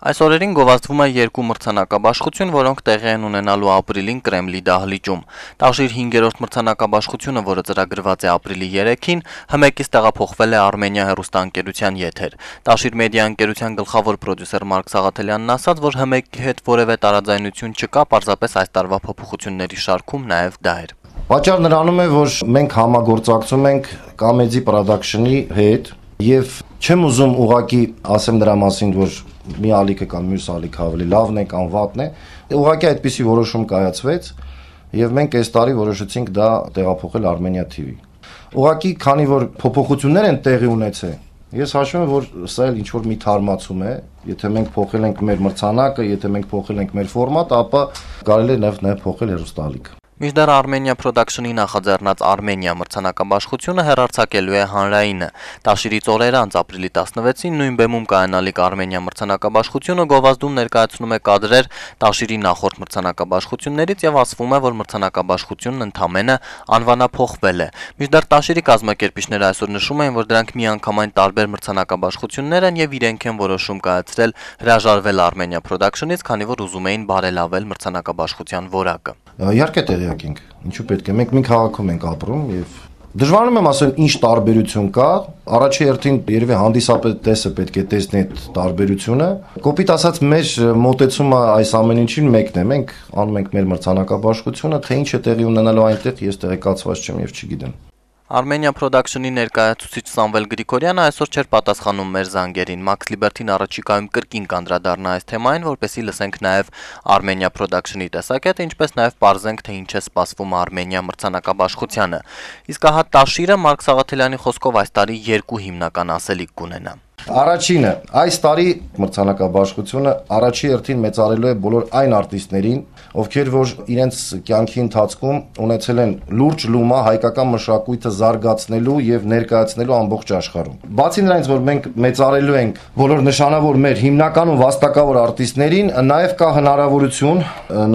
Այս օրերին գովազդվում է երկու մրցանակաբաշխություն, որոնք տեղի են ունենալու ապրիլին Կրեմլի դահլիճում։ Տաշիր 5-րդ մրցանակաբաշխությունը, որը ծրագրված է ապրիլի 3-ին, ՀՄԷԿ-ից տեղափոխվել է Արմենիա հեռուստաընկերության եթեր։ Տաշիր մեդիա ընկերության գլխավոր պրոդյուսեր Մարկ Սաղաթելյանն ասաց, որ ՀՄԷԿ-ի հետ որևէ տարաձայնություն չկա, պարզապես այս տարվա փոփոխությունների շարքում նաև դա էր։ Պատճառը նրանում է, որ մենք համագործակցում ենք Comedy Production-ի հետ եւ չեմ ուզում ուղակի ասեմ դրա մասին, որ մի ալիքը կամ մյուս ալիքը ավելի լավն է կամ վատն է, ուղղակի այդպիսի որոշում կայացվեց եւ մենք այս տարի որոշեցինք դա տեղափոխել Armenia TV։ Ուղղակի քանի որ փոփոխություններ են տեղի ունեցել, ես հաշվում եմ, որ սա էլ ինչ որ մի թարմացում է, եթե մենք փոխել ենք մեր մրցանակը, եթե մենք փոխել ենք մեր ֆորմատը, ապա կարելի է նաեւ փոխել հեռուստաալիքը։ Մինչդեռ Armenia Production-ի նախաձեռնած Armenia մրցանակաբաշխությունը հեռարձակելու է հանրայինը։ Տաշիրից օրեր անց ապրիլի 16-ին նույն բեմում կայանալիք Armenia մրցանակաբաշխությունը գովազդում ներկայացնում է կադրեր Տաշիրի նախորդ մրցանակաբաշխություններից եւ ասվում է, որ մրցանակաբաշխությունն ընդամենը անվանափոխվել է։ Մինչդեռ Տաշիրի կազմակերպիչները այսօր նշում են, որ դրանք միանգամայն տարբեր մրցանակաբաշխություններ են եւ իրենք են որոշում կայացրել հրաժարվել Armenia Production-ից, քանի որ ուզում էին բարելավել մրցանակաբաշխության որակը։ Իհարկե տեղյակ ենք, ինչու պետք է, մենք մի քաղաքում ենք ապրում եւ դժվարանում եմ ասել ինչ տարբերություն կա, առաջի հերթին երևի հանդիսատեսը պետք է տեսնի այդ տարբերությունը, կոպիտ ասած մեր մոտեցումը այս ամեն ինչին մեկն է, մենք անում ենք մեր մրցանակաբաշխությունը, թե ինչ է տեղի ունենալու այնտեղ ես տեղեկացված չեմ եւ չգիտեմ։ Armenia Production-ի ներկայացուցիչ Սամվել Գրիգորյանը այսօր չէր պատասխանում մեր զանգերին։ Max Liberty-ն առաջիկայում կրկին կանդրադառնա այս թեմային, որպեսզի լսենք նաև Armenia Production-ի տեսակետը, ինչպես նաև պարզենք, թե ինչ է սպասվում Armenia մրցանակաբաշխությանը։ Իսկ ահա Տաշիրը Մարկ Սաղաթելյանի խոսքով այս տարի երկու հիմնական ասելիք կունենա։ Առաջինը, այս տարի մրցանակաբաշխությունը առաջի հերթին մեծարելու է բոլոր այն արտիստներին, ովքեր որ իրենց կյանքի ընթացքում ունեցել են լուրջ լումա հայկական մշակույթը զարգացնելու եւ ներկայացնելու ամբողջ աշխարհում։ Բացի նրանից, որ մենք մեծարելու ենք բոլոր նշանավոր մեր հիմնական ու վաստակավոր արտիստներին, նաեւ կա հնարավորություն,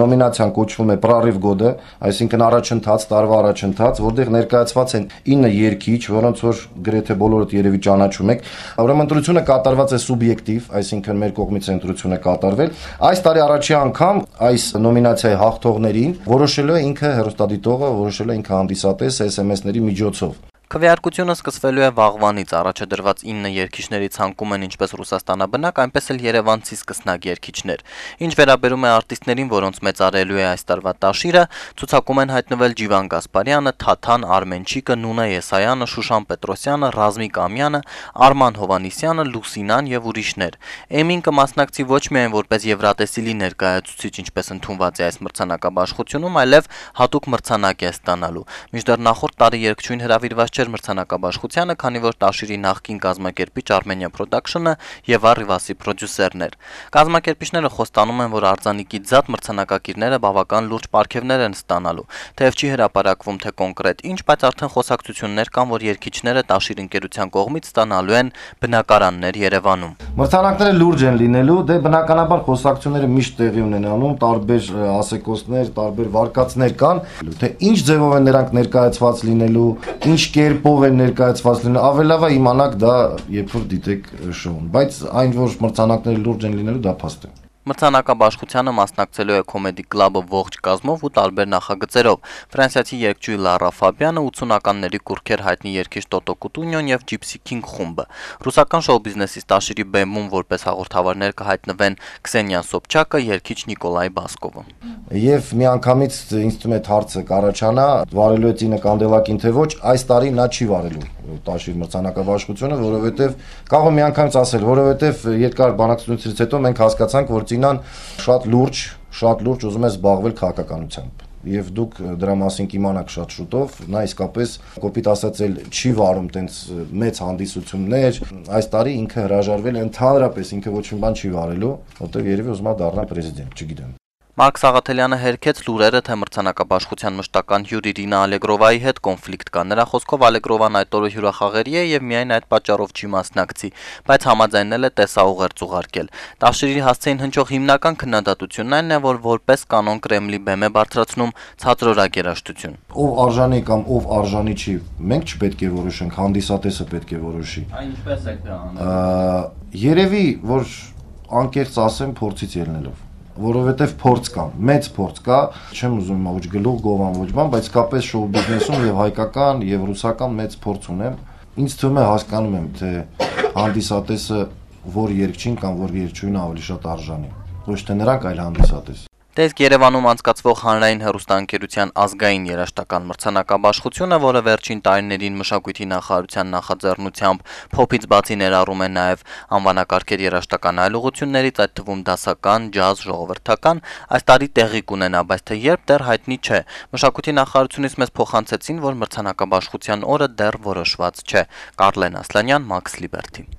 նոմինացիան կոչվում է Prorыв года, այսինքն առաջընթաց, տարվա առաջընթաց, որտեղ ներկայացված են 9 երգիչ, որոնց որ գրեթե բոլորդ երևի ճանաչում եք։ Ուրեմն ընտրությունը կատարված է սուբյեկտիվ, այսինքն մեր կողմից ընտրություն է կատարվել։ Այս տարի առաջի անգամ այս նոմինացիայի հաղթողներին որոշելու է ինքը հեռուստադիտողը, որոշելու է ինքը հանդիսատեսը SMS-ների միջոցով։ Քվեարկությունը սկսվելու է վաղվանից, առաջ դրված 9 երգիչների ցանկում են ինչպես ռուսաստանաբնակ, այնպես էլ երևանցի սկսնակ երգիչներ։ Ինչ վերաբերում է արտիստներին, որոնց մեծարելու է այս տարվա Տաշիրը, ցուցակում են հայտնվել Ջիվան Գասպարյանը, Թաթան Արմենչիկը, Նունե Եսայանը, Շուշան Պետրոսյանը, Ռազմիկ Ամյանը, Արման Հովանիսյանը, Լուսինան եւ ուրիշներ։ Էմին կմասնակցի ոչ միայն որպես Եվրատեսիլի ներկայացուցիչ, ինչպես ընդունված է այս մրցանակաբաշխությունում, այլև հատուկ մրցանակ է ստանալու։ Մինչդեռ նախորդ տարի երգչույն հրավիրված մրցանակաբաշխությանը, քանի որ Տաշիրի նախկին կազմակերպիչ Armenia Production-ը եւ Arrivas-ի պրոդյուսերն էր։ Կազմակերպիչները խոստանում են, որ արձանիկի ձատ մրցանակակիրները բավական լուրջ պարգևներ են ստանալու, թեև չի հրապարակվում թե կոնկրետ ինչ, բայց արդեն խոսակցություններ կան, որ երգիչները Տաշիր ընկերության կողմից ստանալու են բնակարաններ Երևանում։ Մրցանակները լուրջ են լինելու, դե բնականաբար խոսակցությունները միշտ տեղի ունենալու, տարբեր ասեկոսներ, տարբեր վարկածներ կան, թե ինչ ձևով են նրանք ներկայացված լինելու, ինչ կերպով են ներկայացված լինելու, ավելի լավ է իմանաք դա երբ որ դիտեք շոուն, բայց այն որ մրցանակները լուրջ են լինելու դա փաստ է։ Մրցանակաբաշխությանը մասնակցելու է Comedy Club-ը ողջ կազմով ու տարբեր նախագծերով։ Ֆրանսիացի երգչուհի Լարա Ֆաբյանը, 80-ականների կուրքեր հայտնի երգիչ Տոտո Կուտունյոն եւ Gypsy King խումբը։ Ռուսական շոու բիզնեսի Տաշիրի բեմում որպես հաղորդավարներ կհայտնվեն Քսենիա Սոբչակը, երգիչ Նիկոլայ Բասկովը։ Եվ միանգամից ինձ թվում է հարցը կառաջանա, վարելու է Ծինը Կանդելակին թե ոչ, այս տարի նա չի վարելու Տաշիր մրցանակաբաշխությունը, որովհետև կարող եմ միանգամից ասել, որովհետև երկար բանակցությունից հետո մենք հասկացանք, որ Ծինան շատ լուրջ ուզում է զբաղվել քաղաքականությամբ։ Եվ դուք դրա մասին կիմանաք շատ շուտով, նա իսկապես կոպիտ ասած էլ չի վարում տենց մեծ հանդիսություններ, այս տարի ինքը հրաժարվել է ընդհանրապես, ինքը ոչ մի բան չի վարելու, որտեղ երևի ուզում է դառնալ պրեզիդենտ, չգիտեմ։ Մարկ Սաղաթելյանը հերքեց լուրերը, թե մրցանակաբաշխության մշտական հյուր Իրինա Ալեգրովայի հետ կոնֆլիկտ կա։ Նրա խոսքով Ալեգրովան այդ օրը հյուրախաղերի է եւ միայն այդ պատճառով չի մասնակցի, բայց համաձայնել է տեսաուղերձ ուղարկել։ Տաշիրի հասցեին հնչող հիմնական քննադատությունն այն է, որ որպես կանոն Կրեմլի բեմ է բարձրացնում ցածրորակ երաժշտություն։ Ով արժանի կամ ով արժանի չի, մենք չպետք է որոշենք, հանդիսատեսը պետք է որոշի։ Այն ինչպես է դա անում։ Երևի որ անկեղծ ասեմ, փորձից ելնելով, որովհետև փորձ կա, մեծ փորձ կա, չեմ ուզում ոչ գլուխ գովան ոչ բան, բայց կապես շոու բիզնեսում եւ հայկական եւ ռուսական մեծ փորձ ունեմ։ Ինձ թվում է հասկանում եմ, թե հանդիսատեսը որ երգչին կամ որ երգչուհին ավելի շատ արժանի, ոչ թե նրանք, այլ հանդիսատես։ Տեսք Երևանում անցկացվող հանրային հեռուստաընկերության ազգային երաժշտական մրցանակաբաշխությունը, որը վերջին տարիներին մշակույթի նախարարության նախաձեռնությամբ փոփից բացի ներառում է նաև անվանակարգեր երաժշտական այլ ուղղություններից, այդ թվում դասական, ջազ, ժողովրդական, այս տարի տեղի կունենա, բայց թե երբ դեռ հայտնի չէ։ Մշակույթի նախարարությունից մեզ փոխանցեցին, որ մրցանակաբաշխության օրը դեռ որոշված չէ։ Կարլեն Ասլանյան, Max Liberty։